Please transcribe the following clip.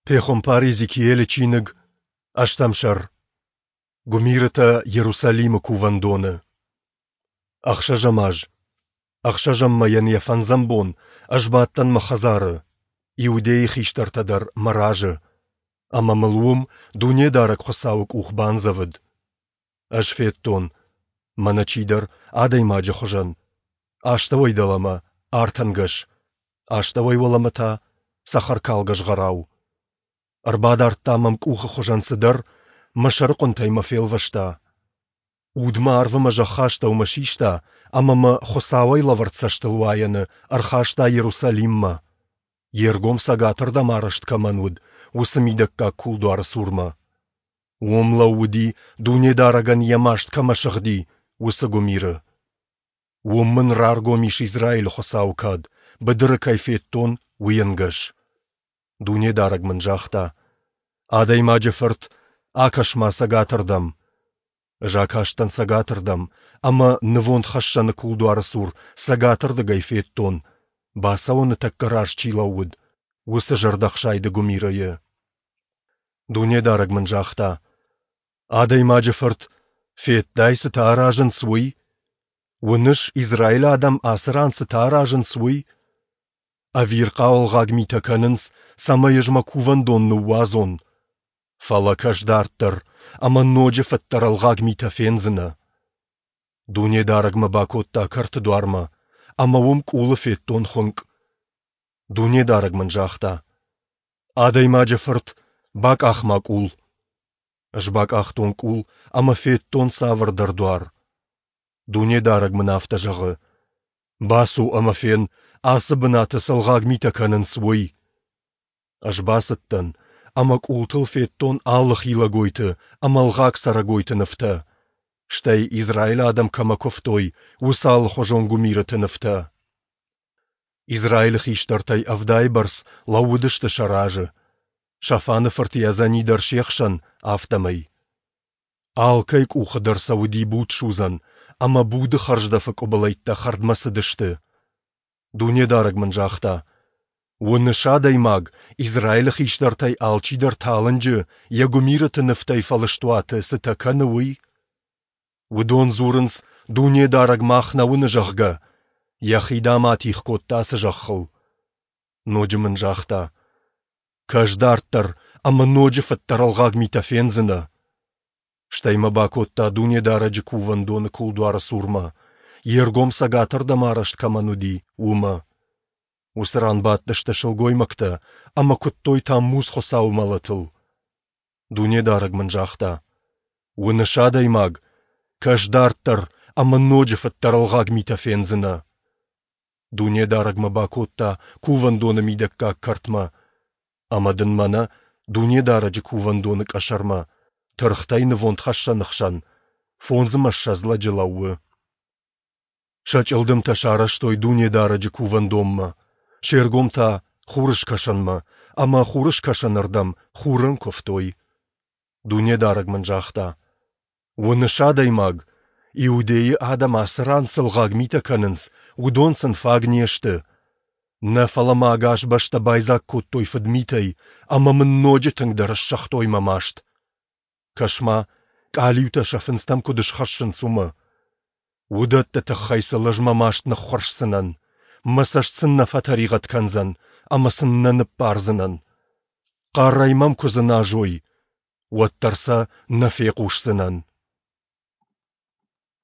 Пехуымпар Иезекиилы чиныг, ӕстӕм сӕр. Гуымирытӕ Иерусалимы кувӕндоны. Ӕхсӕзӕм аз, ӕхсӕзӕм мӕйӕн йӕ фӕндзӕм бон ӕз бадтӕн мӕ хӕдзары, Иудейы хистӕртӕ дӕр мӕ разы, ӕмӕ мыл уым Дунедарӕг Хуыцауы къух бандзӕвыд. Ӕз федтон, мӕнӕ чидӕр, адӕймаджы хуызӕн, астӕуӕй дӕлӕмӕ артӕнгӕс, астӕуӕй уӕлӕмӕ та цӕхӕркалгӕ згъӕрау. Ӕрбадардта мӕм къухы хуызӕн цыдӕр, мӕ сӕрыхъуынтӕй мӕ фелвӕста. Уд мӕ арвы мӕ зӕххы астӕумӕ систа ӕмӕ мӕ Хуыцауӕй лӕвӕрд цӕстылуайӕны ӕрхаста Иерусалиммӕ, йе ргом цӕгатырдӕм арӕзт кӕмӕн уыд, уыцы мидӕггаг кулдуары цурмӕ. Уым лӕууыди, Дунедарӕгӕн йӕ маст кӕмӕ сыгъди, уыцы гуымиры. Уым мын раргом ис Израилы Хуыцауы кад, быдыры кӕй федтон, уый ӕнгӕс. Дунедарӕг мын загъта: Адӕймаджы фырт, акӕс-ма цӕгатырдӕм. Ӕз акастӕн цӕгатырдӕм, ӕмӕ нывондхӕссӕны кулдуары цур цӕгатырдыгӕй федтон, бацӕуӕны тӕккӕ раз чи лӕууыд, уыцы зӕрдӕхсайды гуымирыйы. Дунедарӕг мын загъта: Адӕймаджы фырт, федтай, цытӕ аразынц, уый? Уыныс, Израилы адӕм ацы ран цытӕ аразынц, уый? Ӕвирхъау ӕлгъаг митӕ кӕнынц, цӕмӕй ӕз мӕ кувӕндон ныууадзон. Фӕлӕ кӕс дарддӕр, ӕмӕ ноджы фыддӕр ӕлгъаг митӕ фендзынӕ. Дунедарӕг мӕ бакодта кӕрты дуармӕ, ӕмӕ уым къулы федтон хуынкъ. Дунедарӕг мын загъта: Адӕймаджы фырт, бакъах-ма къул. Ӕз бакъахтон къул ӕмӕ федтон цавӕрдӕр дуар. Дунедарӕг мын афтӕ зӕгъы: Бацу ӕмӕ фен, ацы бынаты цы ӕлгъаг митӕ кӕнынц, уый. Ӕз бацыдтӕн ӕмӕ къултыл федтон алы хилӕгойты ӕмӕ ӕлгъаг цӕрӕгойты нывтӕ, стӕй Израилы адӕм кӕмӕ куывтой, уыцы алыхуызон гуымирыты нывтӕ. Израилы хистӕртӕй ӕвдайы бӕрц лӕууыдысты сӕ разы, Шафаны фырт Иазани дӕр се хсӕн, афтӕмӕй. Алкӕй къухы дӕр сӕ уыди будсудзӕн, ӕмӕ буды хӕрздӕфы къуыбылӕйттӕ хӕрдмӕ цыдысты. Дунедарӕг мын загъта: Уыныс, адӕймаг, Израилы хистӕртӕй алчидӕр талынджы йӕ гуымирыты нывтӕй фӕлыст уаты цытӕ кӕны, уый? Уыдон дзурынц, Дунедарӕг мах нӕ уыны, зӕгъгӕ. Йӕхи, дам, атигъ кодта ацы зӕххыл. Ноджы мын загъта: Кӕс дарддӕр ӕмӕ ноджы фыддӕр ӕлгъаг митӕ фендзынӕ. Стӕй мӕ бакодта Дунедарӕджы кувӕндоны кулдуары цурмӕ, йе ргом цӕгатырдӕм арӕзт кӕмӕн уыди, уымӕ. Уыцы ран бадтысты сылгоймӕгтӕ ӕмӕ куыдтой Таммуз хуыцауы мӕлӕтыл. Дунедарӕг мын загъта: Уыныс, адӕймаг, кӕс дарддӕр ӕмӕ ноджы фыддӕр ӕлгъаг митӕ фендзынӕ. Дунедарӕг мӕ бакодта кувӕндоны мидӕггаг кӕртмӕ, ӕмӕ дын мӕнӕ Дунедарӕджы кувӕндоны къӕсӕрмӕ, тыргътӕй нывондхӕссӕны хсӕн, 25 лӕджы лӕууы. Сӕ чъылдымтӕ сарӕзтой Дунедарӕджы кувӕндонмӕ, се ргом та хурыскӕсӕнмӕ, ӕмӕ хурыскӕсӕнырдӕм хурӕн куывтой. Дунедарӕг мын загъта: Уыныс, адӕймаг, Иудейы адӕм ацы ран цы лгъаг митӕ кӕнынц, уыдон сын фаг не сты. Нӕ фӕлӕ ма ӕгас бӕстӕ байдзаг кодтой фыдмитӕй ӕмӕ мын ноджы тынгдӕр ссыгътой мӕ маст. Кӕс-ма, къалиутӕ сӕ фындзтӕм куыд схӕссынц, уымӕ. Уыдӕтты тыххӕй сыл ӕз мӕ маст ныххуырсдзынӕн, мӕ цӕст сын нӕ фӕтӕригъӕд кӕндзӕн ӕмӕ сын нӕ ныббардзынӕн. Хъӕрӕй мӕм куы дзыназой, уӕддӕр сӕ нӕ фехъусдзынӕн.